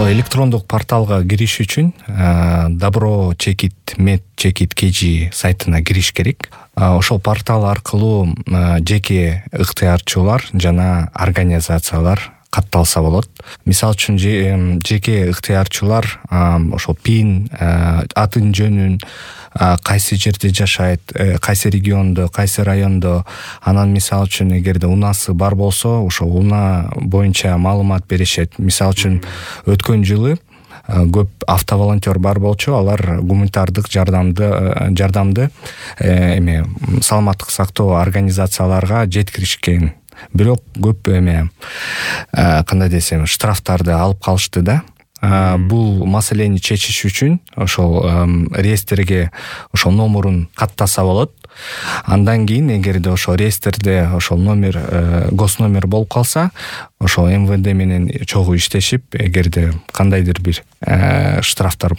Ошо электрондук порталга кириш үчүн Добро Чекит Мед Чекит KG сайтына кириш керек. Ошол портал аркылуу жеке ыктыярчылар жана организациялар катталса болот. Мисалы үчүн жеке ыктыярчылар ошол пин, атын жөнүн, кайсы жерде жашайт, кайсы региондо, кайсы райондо, анан мисалы үчүн эгерде унасы бар болсо, ошол уна боюнча маалымат беришет. Мисалы үчүн өткөн жылы көп автоволонтер бар болчу, алар гуманитардык жардамды саламаттык сактоо организацияларга жеткиришкен. Бирок көп кандай десем, штрафтарды алып калышты да. Бул маселени чечиш үчүн ошол реестрге ошол номерун каттаса болот. Андан кийин эгерде ошол реестрде ошол номер, госномер болуп калса, ошол МВД менен чогуу иштешип, эгерде кандайдыр бир штрафтар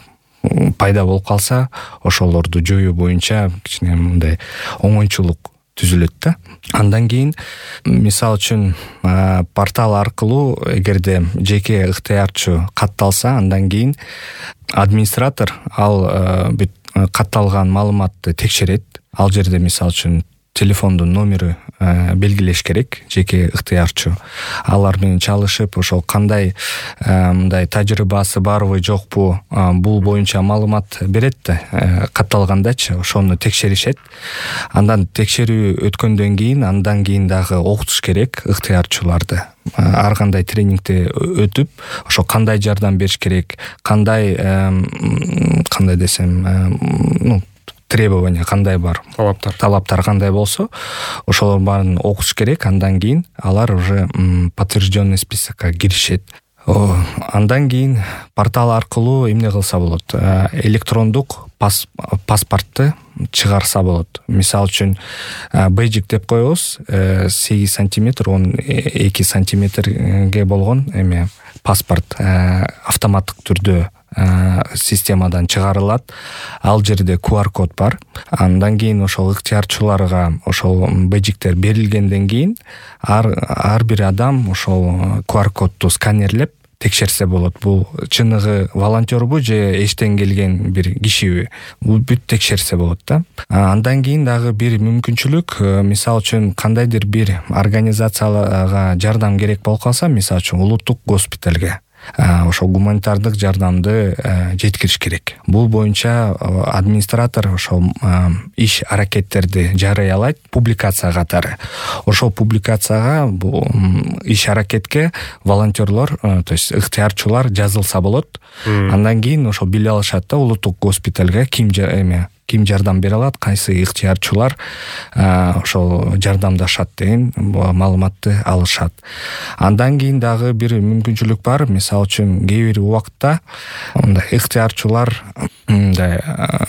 пайда болуп калса, ошолорду жоюу боюнча кичине мындай оңойчулук түзүлөт да. Андан кийин мисалы үчүн портал аркылуу эгерде жеке ыктыярчы катталса, андан кийин администратор ал бүт катталган маалыматты текшерет. Ал жерде мисалы үчүн телефондун номери белгилеш керек жеке ыктыярчы. Алар менен чалышып, ошол кандай мындай тажрыйбасы барбы, жокпу, бул боюнча маалымат берет да, катталгандачы, ошону текшеришет. Андан текшерүү өткөндөн кийин, андан кийин дагы окутуш керек ыктыярчыларды. Ар кандай тренингде өтүп, ошо кандай жардам бериш керек, кандай десем, требования кандай бар, талаптар кандай болсо, ошолор баарын окуш керек. Андан кийин алар уже подтвержденный списокко киришет. Андан кийин портал аркылуу эмне кылса болот? Электрондук паспортты чыгарса болот. Мисалы үчүн бейджик деп коебуз, 8 сантиметр, 12 сантиметрге болгон паспорт автоматтык түрдө системадан чыгарылат. Ал жерде QR-код бар. Андан кийин ошол ыктыярчыларга ошол бейджиктер берилгенден кийин ар бир адам ошол QR-кодду сканерлеп текшерсе болот. Бул чыныгы волонтербу же эчтен келген бир кишиби? Бул бүт текшерсе болот да. Андан кийин дагы бир мүмкүнчүлүк, мисалы үчүн кандайдыр бир организацияга жардам керек болуп калса, мисалы үчүн улуттук госпиталга ошол гуманитардык жардамды жеткириш керек. Бул боюнча администратор ошол иш аракеттерди жарыялайт публикация катары. Ошол публикацияга, бул иш аракетке волонтерлор, то есть ыктыярчылар жазылса болот. Андан кийин ошол биле алышат да, улуттук госпиталга ким жардам бере алат, кайсы ыктыярчылар ошол жардамдашат деген маалыматты алышат. Андан кийин дагы бир мүмкүнчүлүк бар. Мисалы үчүн кээ бир убакта мындай ыктыярчылар мындай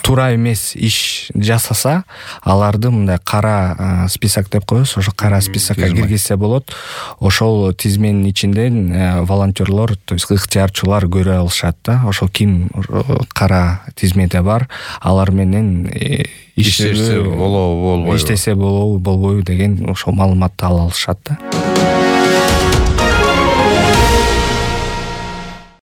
туура эмес иш жасаса, аларды мындай кара список деп коебуз, ошо кара списокко киргизсе болот. Ошол тизменин ичинен волонтерлор, то есть ыктыярчылар көрө алышат да, ошол ким кара тизмеде бар, алар менен иштесе болобу, болбойбу деген ошол маалыматты ала алышат да.